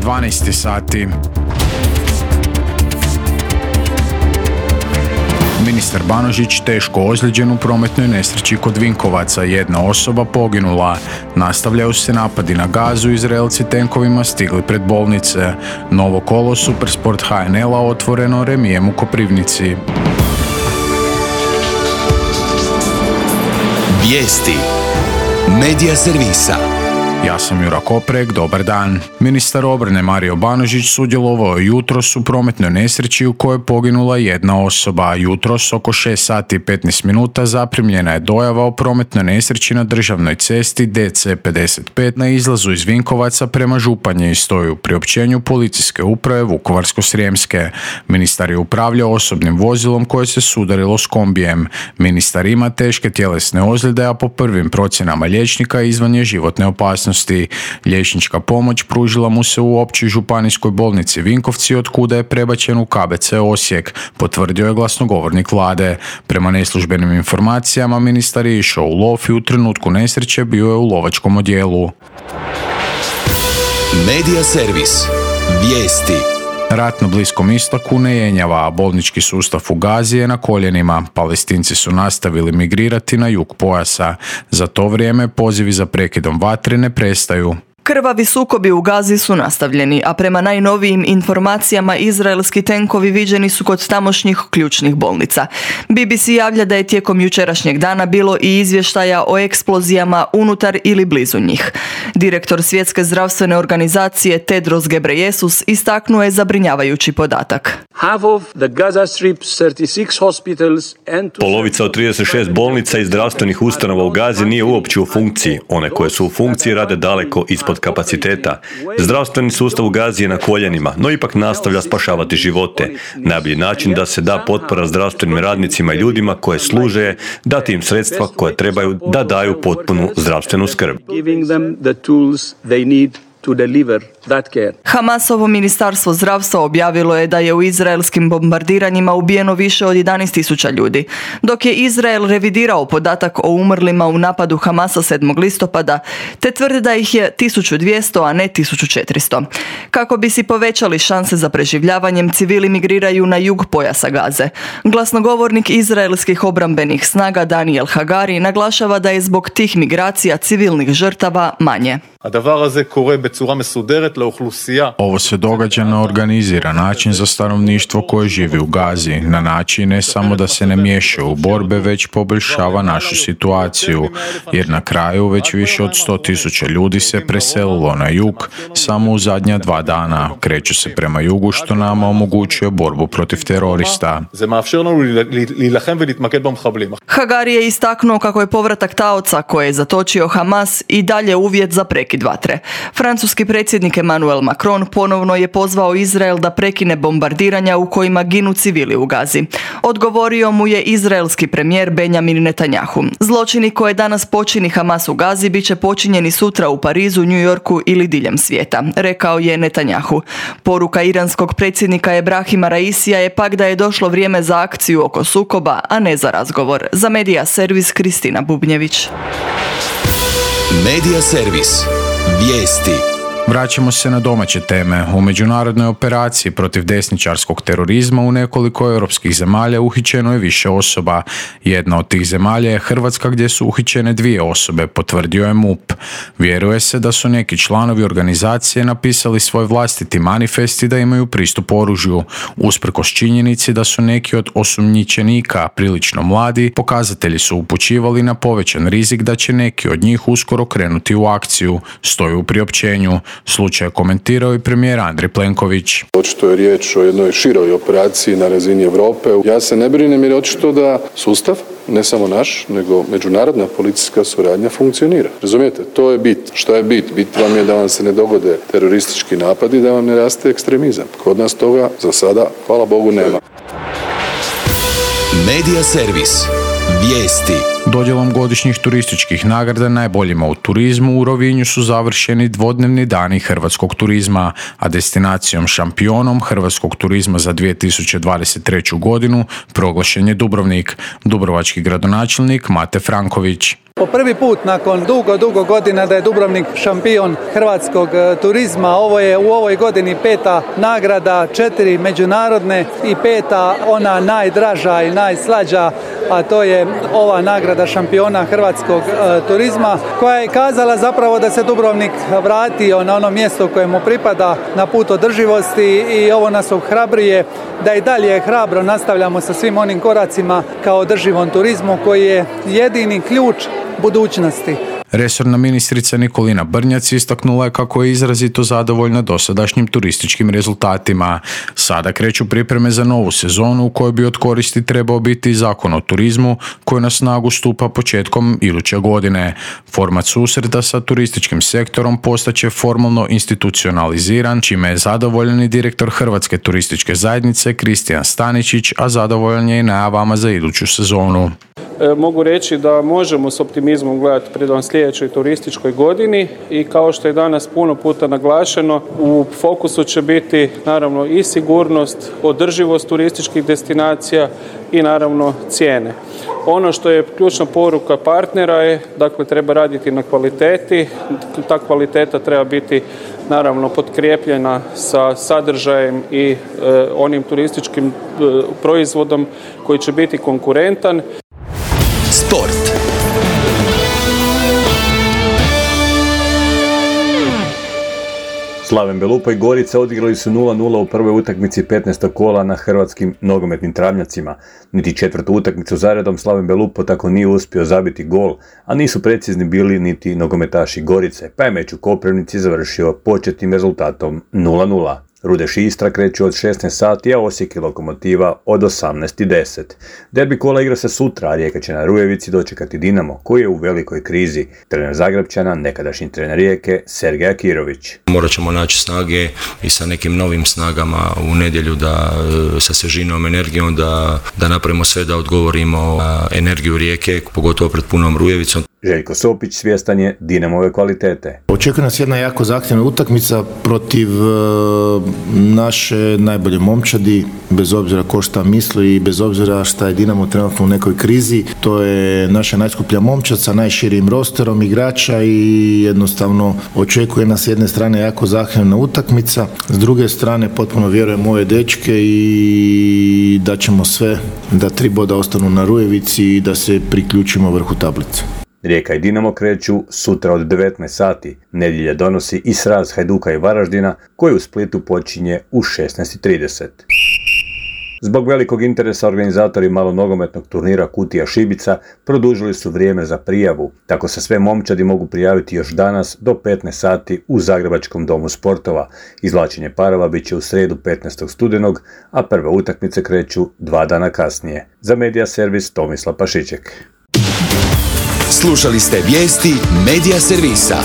12 sati. Ministar Banožić teško ozlijeđen u prometnoj nesreći kod Vinkovaca. Jedna osoba poginula. Nastavljaju se napadi na Gazu, Izraelci tenkovima stigli pred bolnice. Novo kolo Supersport HNL-a otvoreno remijem u Koprivnici. Vijesti Medija servisa. Ja sam Jura Koprek, dobar dan. Ministar obrane Mario Banožić sudjelovao je jutros u prometnoj nesreći u kojoj je poginula jedna osoba. Jutros oko 6 sati i 15 minuta zaprimljena je dojava o prometnoj nesreći na državnoj cesti DC55 na izlazu iz Vinkovaca prema Županji i stoji u priopćenju policijske uprave Vukovarsko-srijemske. Ministar je upravljao osobnim vozilom koje se sudarilo s kombijem. Ministar ima teške tjelesne ozljede, a po prvim procjenama liječnika izvan je životne opasnosti. Liječnička pomoć pružila mu se u Općoj županijskoj bolnici Vinkovci, od kuda je prebačen u KBC Osijek, potvrdio je glasnogovornik vlade. Prema neslužbenim informacijama, ministar je išao u lov i u trenutku nesreće bio je u lovačkom odjelu. Medija servis. Vijesti. Rat na Bliskom istoku ne jenjava, a bolnički sustav u Gazi je na koljenima. Palestinci su nastavili migrirati na jug pojasa. Za to vrijeme pozivi za prekidom vatre ne prestaju. Krvavi sukobi u Gazi su nastavljeni, a prema najnovijim informacijama izraelski tenkovi viđeni su kod tamošnjih ključnih bolnica. BBC javlja da je tijekom jučerašnjeg dana bilo i izvještaja o eksplozijama unutar ili blizu njih. Direktor Svjetske zdravstvene organizacije Tedros Ghebreyesus istaknuo je zabrinjavajući podatak. Polovica od 36 bolnica i zdravstvenih ustanova u Gazi nije uopće u funkciji. One koje su u funkciji rade daleko ispod kapaciteta. Zdravstveni sustav u Gazi je na koljenima, no ipak nastavlja spašavati živote. Najbolji način da se da potpora zdravstvenim radnicima i ljudima koje služe je dati im sredstva koje trebaju da daju potpunu zdravstvenu skrb. Hamasovo ministarstvo zdravstva objavilo je da je u izraelskim bombardiranjima ubijeno više od 11.000 ljudi, dok je Izrael revidirao podatak o umrlima u napadu Hamasa 7. listopada, te tvrdi da ih je 1.200, a ne 1.400. Kako bi si povećali šanse za preživljavanjem, civili migriraju na jug pojasa Gaze. Glasnogovornik izraelskih obrambenih snaga Daniel Hagari naglašava da je zbog tih migracija civilnih žrtava manje. Ovo se događa na organiziran način za stanovništvo koje živi u Gazi, na način ne samo da se ne miješa u borbe, već poboljšava našu situaciju, jer na kraju već više od 100.000 ljudi se preselilo na jug samo u zadnja 2 dana. Kreću se prema jugu, što nama omogućuje borbu protiv terorista. Hagari je istaknuo kako je povratak taoca koje je zatočio Hamas i dalje uvjet za prekid vatre. Francuski predsjednik Emmanuel Macron ponovno je pozvao Izrael da prekine bombardiranja u kojima ginu civili u Gazi. Odgovorio mu je izraelski premijer Benjamin Netanjahu. Zločini koje danas počini Hamas u Gazi bit će počinjeni sutra u Parizu, New Yorku ili diljem svijeta, rekao je Netanjahu. Poruka iranskog predsjednika Ebrahima Raisija je pak da je došlo vrijeme za akciju oko sukoba, a ne za razgovor. Za Medija servis Kristina Bubnjević. Medija servis. Vijesti. Vraćamo se na domaće teme. U međunarodnoj operaciji protiv desničarskog terorizma u nekoliko europskih zemalja uhićeno je više osoba. Jedna od tih zemalja je Hrvatska, gdje su uhićene 2 osobe, potvrdio je MUP. Vjeruje se da su neki članovi organizacije napisali svoj vlastiti manifest i da imaju pristup oružju. Usprkos činjenici da su neki od osumnjičenika prilično mladi, pokazatelji su upućivali na povećan rizik da će neki od njih uskoro krenuti u akciju, stoji u priopćenju. Slučaj je komentirao i premijer Andrej Plenković. Očito je riječ o jednoj široj operaciji na razini Europe. Ja se ne brinem jer očito da sustav, ne samo naš, nego međunarodna policijska suradnja funkcionira. Razumijete? To je bit. Što je bit? Bit vam je da vam se ne dogode teroristički napadi, da vam ne raste ekstremizam. Kod nas toga za sada, hvala Bogu, nema. Medija servis. Vijesti. Dodjelom godišnjih turističkih nagrada najboljima u turizmu u Rovinju su završeni dvodnevni dani hrvatskog turizma, a destinacijom šampionom hrvatskog turizma za 2023. godinu proglašen je Dubrovnik. Dubrovački gradonačelnik Mate Franković. Po prvi put nakon dugo godina da je Dubrovnik šampion hrvatskog turizma. Ovo je u ovoj godini 5. nagrada, 4 međunarodne i 5. ona najdraža i najslađa, a to je ova nagrada šampiona hrvatskog turizma, koja je kazala zapravo da se Dubrovnik vratio na ono mjesto koje mu pripada, na put održivosti, i ovo nas ohrabruje da i dalje hrabro nastavljamo sa svim onim koracima kao održivom turizmu koji je jedini ključ budućnosti. Resorna ministrica Nikolina Brnjac istaknula je kako je izrazito zadovoljna dosadašnjim turističkim rezultatima. Sada kreću pripreme za novu sezonu u kojoj bi od koristi trebao biti Zakon o turizmu koji na snagu stupa početkom iduće godine. Format susreta sa turističkim sektorom postaće formalno institucionaliziran, čime je zadovoljan i direktor Hrvatske turističke zajednice Kristijan Staničić, a zadovoljan je i najavama za iduću sezonu. Mogu reći da možemo s optimizmom gledati prema sljedećoj turističkoj godini i kao što je danas puno puta naglašeno, u fokusu će biti naravno i sigurnost, održivost turističkih destinacija i naravno cijene. Ono što je ključna poruka partnera je, dakle, treba raditi na kvaliteti. Ta kvaliteta treba biti naravno potkrijepljena sa sadržajem i onim turističkim proizvodom koji će biti konkurentan. Sport. Slaven Belupo i Gorica odigrali su 0-0 u prvoj utakmici 15. kola na hrvatskim nogometnim travnjacima. Niti četvrtu utakmicu zaredom Slaven Belupo tako nije uspio zabiti gol, a nisu precizni bili niti nogometaši Gorice, pa je meč u Koprivnici završio početnim rezultatom 0-0. Rudeš i Istra kreću od 16 sati, a Osijek i Lokomotiva od 18:10. Derbi kola igra se sutra, a Rijeka će na Rujevici dočekati Dinamo, koji je u velikoj krizi. Trener Zagrepčana, nekadašnji trener Rijeke, Sergej Akirović. Morat ćemo naći snage i sa nekim novim snagama u nedjelju, da sa svježinom, energijom, da napravimo sve da odgovorimo na energiju Rijeke, pogotovo pred punom Rujevicom. Željko Sopić svjestan je Dinamove kvalitete. Očekuje nas jedna jako zahtjevna utakmica protiv naše najbolje momčadi, bez obzira ko šta misli i bez obzira šta je Dinamo trenutno u nekoj krizi. To je naša najskuplja momčad sa najširim rosterom igrača i jednostavno očekuje nas s jedne strane jako zahtjevna utakmica, s druge strane potpuno vjerujem u ove dečke i da ćemo sve da 3 boda ostanu na Rujevici i da se priključimo vrhu tablice. Rijeka i Dinamo kreću sutra od 19 sati. Nedjelja donosi i sraz Hajduka i Varaždina, koji u Splitu počinje u 16:30. Zbog velikog interesa organizatori malonogometnog turnira Kutija Šibica produžili su vrijeme za prijavu. Tako se sve momčadi mogu prijaviti još danas do 15 sati u Zagrebačkom domu sportova. Izvlačenje parova bit će u srijedu 15. studenog, a prve utakmice kreću 2 dana kasnije. Za Medija servis Tomislav Pašiček. Slušali ste vijesti Medija servisa.